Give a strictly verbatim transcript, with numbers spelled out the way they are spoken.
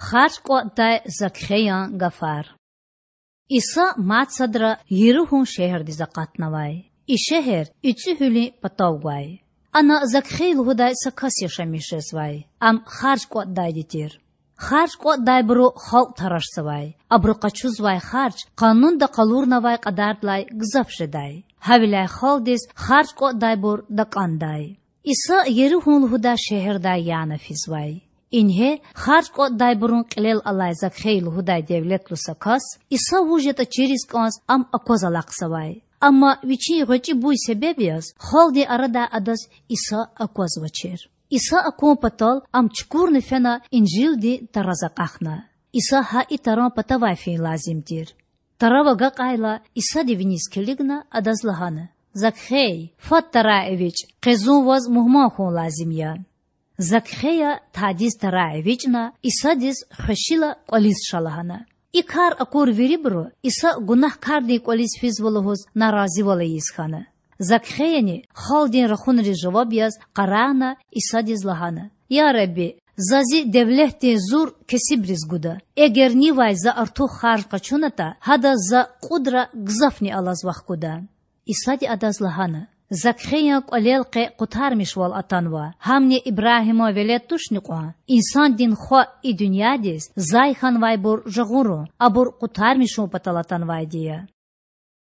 Харж кІватІдай Закхеян гафар. Иса мад садра Еригьун шегьердиз акъатнавай. И шегьер ИцІуьгьуьлуьн патав гвай. Ана Закхей лугьудай са кас яшамиш жезвай. Ам харж кІватІдайди тир. Харж кІватІдайбуру халкь тарашзавай. Абуру къачузвай харж къанунда къалурнавай кьадардилай гзаф жедай. Гьавиляй халкьдиз харж кІватІдайбур такІандай. Иса Еригьун лугьудай шегьердай яна физвай. Ингье харж кІватІдайбурун кьилел алай Закхей лугьудай девлетлу са кас, Иса вуж ятІа чириз кІанз, ам акваз алахъзавай. Амма вичин гъвечІи буй себеб яз халкьдин арадай адаз Иса аквазвачир. Иса акун патал ам чукурна фена Инжилдин тараз акьахна. Иса гьа и таран патавай фин лазим тир. Тарав агакьайла, Исади виниз килигна, адаз лагьана: Закхей, фад тарай эвичІ, къе зун ваз мугьман хьун лазим я. Закхея тадиз тарай эвичІна, Исадиз хвешила кІвализ ша лагьана. И кар акур вирибуру Иса гунагькардин кІвализ физва лугьуз наразивал ийиз хьана. Закхеяни, халкьдин рахунриз жаваб яз, къарагъна, Исадиз лагьана: Я Худа, за зи девлетдин зур кесибриз гуда. Эгер нивай за артух харж къачунатІа, гьадаз за кьудра гзафни алаз вахкуда. Исади адаз лагьана: Закхеян кІвалел къе къутармишвал атанва. Гьамни Ибрагьиман велед тушни кьван? Инсандин Хва и дуьньядиз зай хьанвайбур жагъурун, абур къутармишун патал атанвайди я.